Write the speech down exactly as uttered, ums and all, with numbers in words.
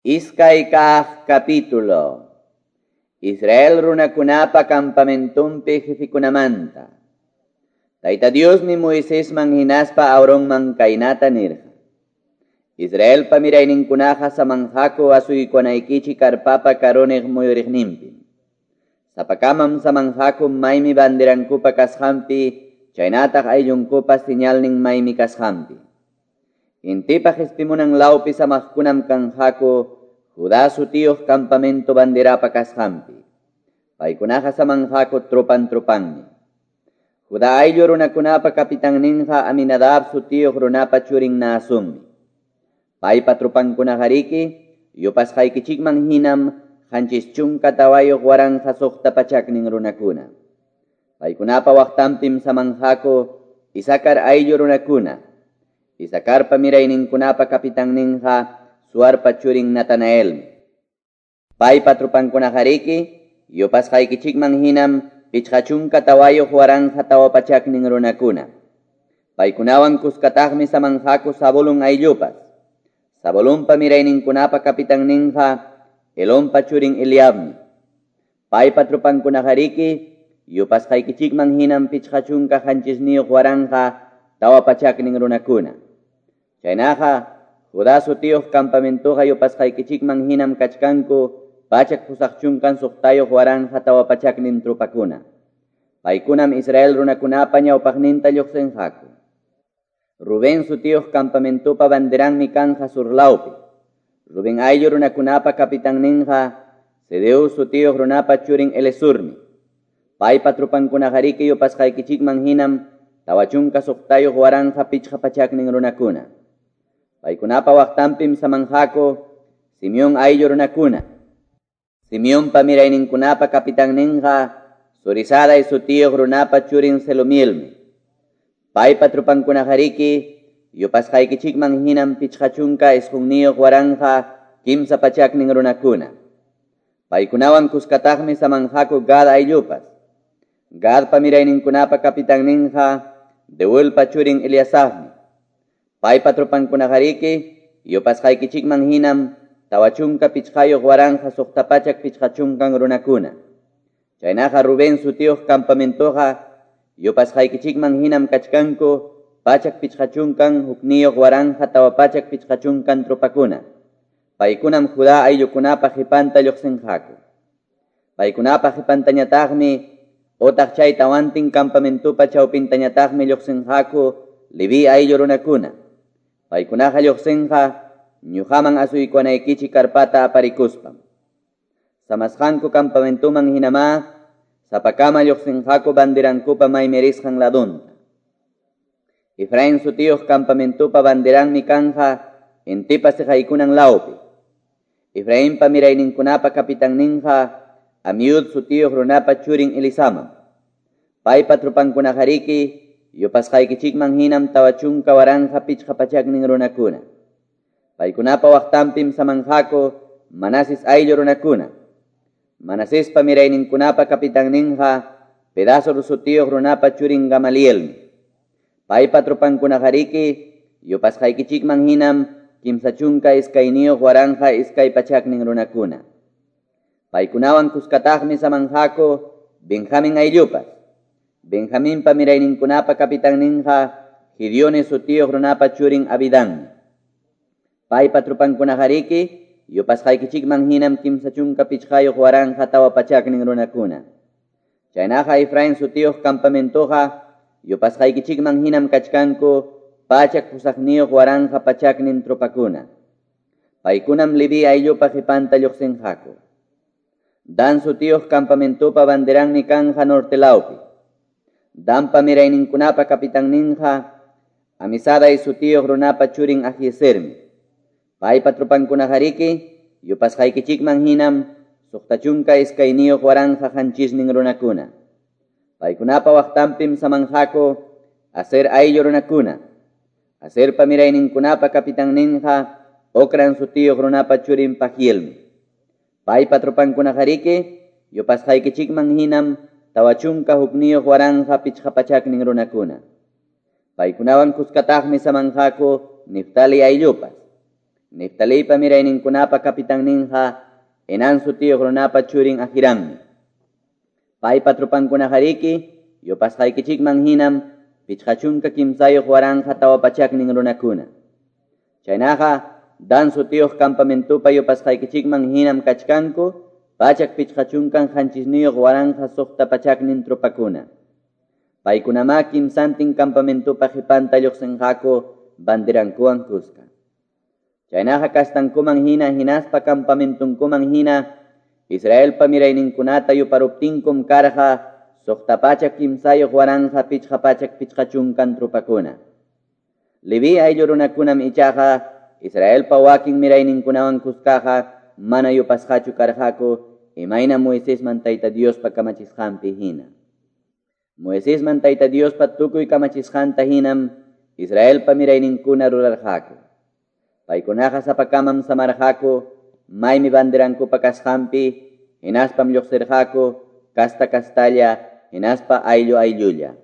Iskay kaq capítulo. Israel runakunapa campamentumpi jefikunamanta. Tayta Diosmi Moisesman hinaspa Aaronman kaynata nirqa. Israelpa mirayninkunaqa samanqaku asuykunaykichik karpapa karuniq muyuriqninpi. Sapakamam samanqaku maymi banderankupa kasqanpi, chaynataq ayllunkupa señalnin maymi kasqanpi. Intipa qespimunan lawpi samaqkunam kanqaku Judá sutiyuq campamento banderapa kasqanpi. Paykunaqa samanqaku tropan tropanmi. Judá ayllu runakunapa kapitanninqa Aminadab sutiyuq runapa churin Naasunmi. Paypa tropankunaqariki yupasqaykichikman hinam qanchis chunka tawayuq waranqa suqta pachaknin runakuna. Paykunapa waqtanpim samanqaku Isakar ayllu runakuna. Isakarpa mirayninkunapa kapitanninqa Suarpa churin Natanaelmi. Paypa tropankunaqariki yupasqaykichikman hinam pichqa chunka tawayuq waranqa tawa pachaknin runakuna. Paykunawan kuskataqmi samanqaku Zabulón ayllupas. Zabulonpa mirayninkunapa kapitanninqa Elonpa churin Eliabmi. Paypa tropankunaqariki yupasqaykichikman hinam pichqa chunka qanchisniyuq waranqa tawa pachaknin runakuna. Chaynaqa Judá sutiyuq campamentoqa yupasqaykichikman hinam kachkanku pachak pusaq chunkan suqtayuq waranqa tawa pachaknin tropakuna. Paykunam Israel runakunapa ñawpaqninta lluqsinqaku. Rubén sutiyuq campamentopa banderanmi kanja surlawpi. Rubén ayllu runakunapa kapitanninqa Sedeu sutiyuq runapa churin Elesurmi. Paypa tropankunaqariki yupasqaykichikman hinam tawa chunka suqtayuq waranqa pichqa pachaknin runakuna. Paykunapa waqtanpim samanqaku Simeón ayllu runakuna. Simeonpa mirayninkunapa kapitanninqa Zurisadai sutiyuq runapa churin Selumielmi. Paypa tropankunaqariki yupasqaykichikman hinam pichqa chunka isqunniyuq waranqa kimsa pachaknin runakuna. Paykunawan kuskataqmi samanqaku Gad ayllupas. Gadpa mirayninkunapa kapitanninqa Deuelpa churin Eliasafmi. Paypa tropankunaqariki yupasqaykichikman hinam tawa chunka pichqayuq waranqa suqta pachak pichqa chunkan runakuna. Chaynaqa Rubén sutiyuq campamentoqa yupasqaykichikman hinam kachkanku pachak pichqa chunkan hukniyuq waranqa tawa pachak pichqa chunkan tropakuna. Paykunam Judá ayllukunapa qhipanta lluqsinqaku. Paykunapa qhipantañataqmi otaq chay tawantin campamentopa chawpintañataqmi lluqsinqaku Leví ayllu runakuna. Paykunaqa lluqsinqa ñuqaman asuykunaykichik karpata aparikuspam. Samasqanku campamentoman hinamá sapakama lluqsinqaku banderankupa maymi risqan ladunta. Efraín sutiyuq campamentopa banderanmi kanja intipa siqaykunan lawpi. Efrainpa mirayninkunapa kapitanninqa Amiud sutiyuq runapa churin Elisamam. Paypa tropankunaqariki yupasqaykichikman hinam tawa chunka waranqa pichqa pachaknin runakuna. Paykunapa waqtanpim samanqaku Manases ayllu runakuna. Manasespa mirayninkunapa kapitanninqa Pedasur sutiyuq runapa churin Gamalielmi. Paypa tropankunaqariki yupasqaykichikman hinam kimsa chunka iskayniyuq waranqa iskay pachaknin runakuna. Paykunawan kuskataqmi samanqaku Benjamín ayllupas. Benjaminpa mirayninkunapa kapitanninqa Gideone sutiyuq runapa churin Abidanmi. Paypa tropankunaqariki yupasqaykichikman hinam kimsa chunka pichqayuq waranqa tawa pachaknin runakuna. Chaynaqa Efraín sutiyuq campamentoqa yupasqaykichikman hinam kachkanku pachak pusaqniyuq waranqa pachaknin tropakuna. Paykunam Leví ayllupa qhipanta lluqsinqaku. Dan sutiyuq campamentopa banderanmi kanja norte lawpi. Danpa mirayninkunapa kapitanninqa Amisadai sutiyuq runapa churin Ahiesermi. Paypa tropankunaqariki yupasqaykichikman hinam suqta chunka iskayniyuq waranqa qanchisnin runakuna. Paykunapa waqtanpim samanqaku Aser ayllu runakuna. Aserpa mirayninkunapa kapitanninqa Ocran sutiyuq runapa churin Pagielmi. Paypa tropankunaqariki yupasqaykichikman hinam tawa chunka hukniyuq waranqa pichqa pachaknin runakuna. Paykunawan kuskataqmi samanqaku Neftali ayllupas. Neftaliypa mirayninkunapa kapitanninqa Enan sutiyuq runapa churin Ahirammi. Paypa tropankunaqariki yupasqaykichikman hinam pichqa chunka kimsayuq waranqa tawa pachaknin runakuna. Chaynaqa Dan sutiyuq campamentupa yupasqaykichikman hinam kachkanku pachak pichqa chunkan qanchisniyuq waranqa suqta pachaknin tropakuna. Paykunamá kimsantin campamentupa qhipanta lluqsinqaku banderankuwan kuska. Chaynaqa kastankuman hina hinaspa campamentunkuman hina Israelpa mirayninkunata yuparuptinkum karqa suqta pachak kimsayuq waranqa pichqa pachak pichqa chunkan tropakuna. Leví ayllu runakunam ichaqa Israelpa wakin mirayninkunawan kuskaqa mana yupasqachu karqaku imayna Moisesman Tayta Diospa kamachisqanpi hina. Moisesman Tayta Diospa tukuy kamachisqanta hinam Israelpa mirayninkuna rurarqaku. Paykunaqa sapakamam samarqaku maymi banderankupa kasqanpi hinaspam lluqsirqaku kasta kastalla hinaspa ayllu ayllulla.